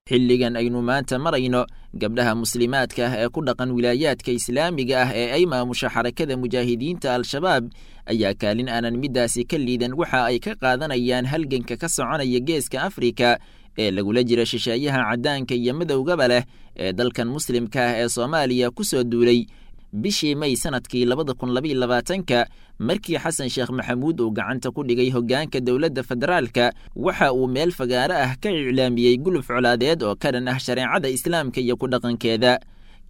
Xilligan aynu maanta marayno, gabdhaha muslimaadka ah ee ku dhaqan wilaayaadka islaamiga ah ee ay maamusha Xarakada Mujaahidiinta Al-Shabaab ayaa kaalin aanan middaasi ka liidan waxa ay ka qaadanayaan halganka ka soconaya Geeska Afrika ee lagula jira shisheeyaha caddaanka iyo madowgaba leh ee dalkan muslimka ah ee Soomaaliya ku soo duulay bishii May sanadkii 2022-ka. Markii Xasan Sheekh Maxamuud uu gacanta ku dhigay hoggaanka dowladda federaalka, waxa uu meel fagaaro ah ka iclaamiyey guluf colaadeed oo ka dhan ah shareecada islaamka iyo ku dhaqankeeda,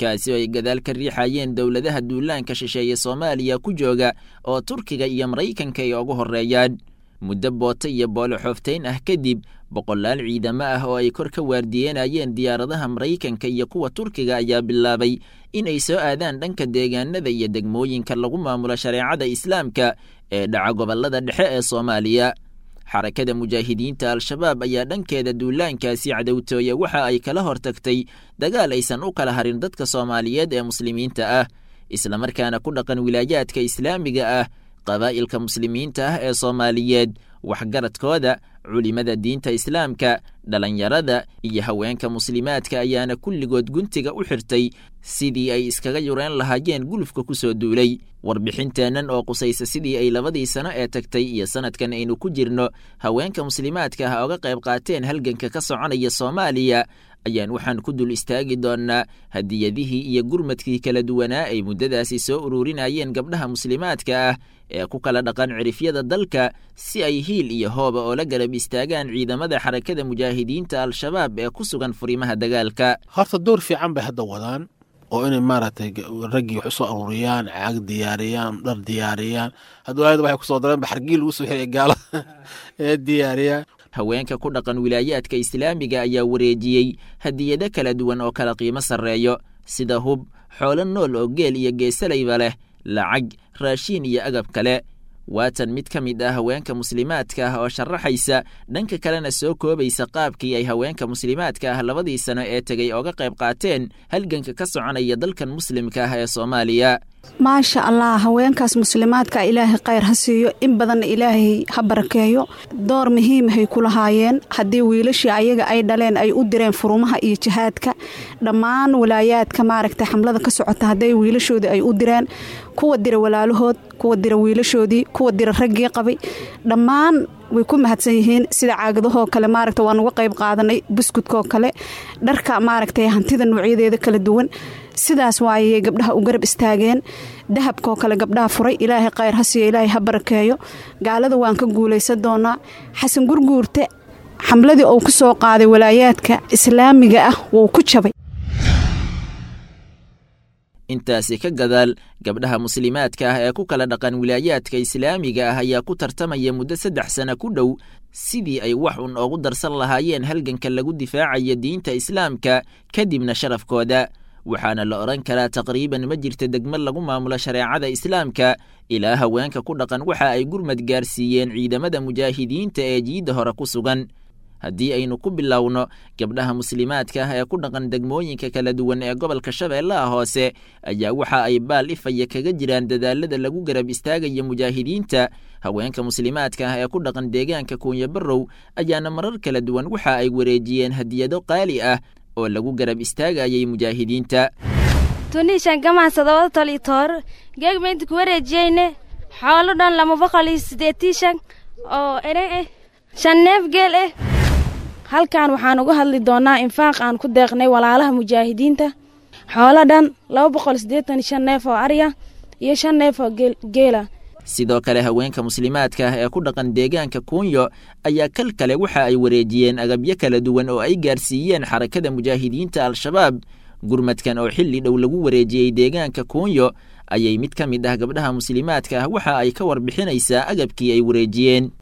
kaasi oo ay gadaal ka riixayeen dowladaha duulaanka shisheeye Soomaaliya ku jooga oo Turkiga iyo Maraykanka ay ugu horreeyaan. Muddo booto iyo boolo xooftayn ah kadib, boqolaal ciidamo ah oo ay kor ka waardiyeenayeen diyaaradaha Maraykanka iyo kuwa Turkiga ayaa bilaabay inay soo aadaan dhanka deegaanada iyo degmooyinka lagu maamulo shareecada islaamka ee dhaca gobollada dhexe ee Soomaaliya. Xarakada Mujaahidiinta Al-Shabaab ayaa dhankeeda duulaankaasi cadowtooye waxa ay kala hortagtay dagaal aysan u kala harin dadka Soomaaliyeed ee muslimiinta ah, islamarkaana ku dhaqan wilaayaadka islaamiga ah, qabaa'ilka muslimiinta ah ee Soomaaliyeed, waxgaradkooda, culimada diinta islaamka, dhalinyarada iyo haweenka muslimaadka ayaana kulligood guntiga u xirtay sidii ay iskaga yureen lahaayeen gulufka ku soo duulay. Warbixinteennan oo qusaysa sidii ay labadii sano ee tagtay iyo sanadkan aynu ku jirno haweenka muslimaadka ah oga qayb qaateen halganka ka soconaya Soomaaliya ayaan waxaan ku dul istaagi doonnaa hadiyadihii iyo gurmadkii kala duwanaa ay muddadaasi soo ururinayeen gabdhaha muslimaadka ah ee ku kala dhaqan cirifyada dalka, si ay hiil iyo hooba oo la garab istaagaan ciidamada Xarakada Mujaahidiinta Al-Shabaab ee ku sugan furimaha dagaalka. Horta door fiican bay hadda wadaan oo inay maaragtay raggii wax usoo aruuriyaan, caag diyaariyaan, dhar diyaariyaan. Hadda waayada waxay kusoo dareen baxargii lagu soo xiraya gaalada ee diyaariyaan. Haweenka ku dhaqan wilaayaadka islaamiga ayaa wareejiyey hadiyado kala duwan oo kala qiimo sarreeyo, sida hub, xoolo nool oo geel iyo geesalayba leh, lacag, raashiin iyo agab kale. Waatan mid ka mid ah haweenka muslimaadka ah oo sharaxaysa, dhanka kalena soo koobaysa qaabkii ay haweenka muslimaadka ah labadii sano ee tegey ooga qayb qaateen halganka ka soconaya dalkan muslimka ah ee Soomaaliya. Maasha Allah, haweenkaas muslimaadka Ilaahay khayr ha siiyo, in badanna Ilaahay ha barakeeyo. Door muhiimahay ku lahaayeen haddii wiilashii ayaga ay dhaleen ay u direen furumaha iyo jihaadka dhammaan walaayaadka maaragtay xamlada ka socota, hadday wiilashoodii ay u direen, kuwa dira walaalahood, kuwa dira wiilashoodii, kuwa dira raggii qabay, dhammaan way ku mahadsan yihiin. Sida caagadahoo kale maaragta waan uga qayb qaadanay, buskudkoo kale, dharka maaragtay, hantida noocyadeeda kala duwan, sidaas waayay gabdhaha u garab istaageen. Dahabkoo kale gabdhaha furay, Ilaahay khayr ha siiyo, Ilaahay ha barakeeyo. Gaalada waan ka guulaysan doonaa. Xasan Gurguurte xamladii uu ku soo qaaday walaayaadka islaamiga ah wuu ku jabay. Intaasi ka gadaal, gabdhaha muslimaadka ah ee ku kala dhaqan wilaayaadka islaamiga ah ayaa ku tartamaya muddo 3 sano ku dhow sidii ay wax un oogu darsan lahaayeen halganka lagu difaacayo diinta islaamka kadibna sharafkooda. Waxaana la odhan karaa taqriiban ma jirta degmo lagu maamulo shareecada islaamka ilaa haweenka ku dhaqan waxa ay gurmad gaarsiiyeen ciidamada mujaahidiinta ee jiidda hore ku sugan. Haddii aynu ku bilowno gabdhaha muslimaadka ah ee ku dhaqan degmooyinka kala duwan ee gobolka Shabeellaha Hoose ayaa waxa ay baal ifaya kaga jiraan dadaalada lagu garab istaagaya mujaahidiinta. Haweenka muslimaadka ah ee ku dhaqan deegaanka Kuunya Barrow ayaana marar kala duwan waxa ay wareejiyeen hadiyado qaali ah oo lagu garab istaagayay mujaahidiinta. Tunishan gamaan sadawada tol iyo toor geegmaynta ku wareejiyeyne xoolo dhan 285 oo eren ah, 5 neef geel ah. Halkan waxaan uga hadli doonaa infaaq aan ku deeqnay walaalaha mujaahidiinta, xoolo dhan 285 neef oo arya iyo 5 neef oo geela. Sidoo kale haweenka muslimaadka ah ee ku dhaqan deegaanka Kuunyo ayaa kal kale waxa ay wareejiyeen agabyo kala duwan oo ay gaarsiiyeen Xarakada Mujaahidiinta Al-Shabaab. Gurmadkan oo xilli dhow lagu wareejiyey deegaanka Kuunyo ayay mid ka mid ah gabdhaha muslimaadka ah waxa ay ka warbixinaysaa agabkii ay wareejiyeen.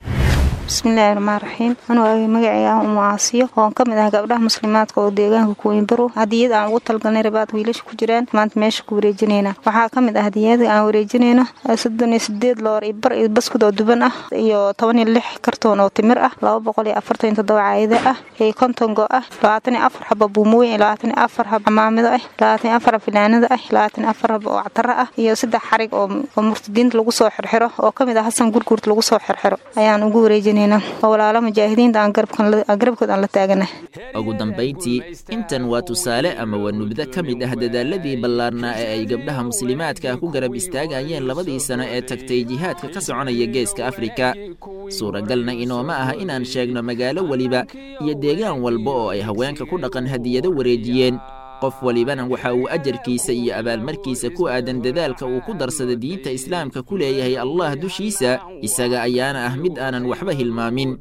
Bismillaahi raxmaani raxiim. Anuu magacayga ah Umu Aasiyo oon ka mid ah gabdhaha muslimaadka oo deegaanka Kuuyin Barow, hadiyad aan ugu talgalnay rabaad wiilasha ku jiraan maanta meesha ku wareejinayna. Waxaa ka mid ah hadiyada aan wareejinayno 38 loor iyo bar iyo baskud oo duban ah, iyo 16 kartoon oo timir ah, 247 caayada ah, iyo 50 go ah, 24 xabo buumooyin, 24 xabo camaamado ah, 24 xabo filaanada ah, 24 xabo oo catara ah, iyo 3 xarig oo murtadiinta lagu soo xirxiro oo ka mid ah Xasan Gurguurt lagu soo xirxiro ayaan ugu wareejinay. wareejinaynaa oo walaala mujaahidiinta aan garabkood aan la taaganahay. Ugu dambayntii, intan waa tusaale ama waa nubdo ka mid ah dadaaladii ballaarnaa ee ay gabdhaha muslimaadka ku garab istaagayeen 2dii sano ee tagtay jihaadka ka soconaya geeska Afrika. Suuragalna inooma aha inaan sheegno magaalo weliba iyo deegaan walba oo ay haweenka ku dhaqan hadiyado wareejiyeen. Qof walibana waxa uu ajarkiisa iyo abaalmarkiisa ku aadan dadaalka uu ku darsada diinta islaamka ku leeyahay Allah dushiisa, isaga ayaana ah mid aanan waxba hilmaamin.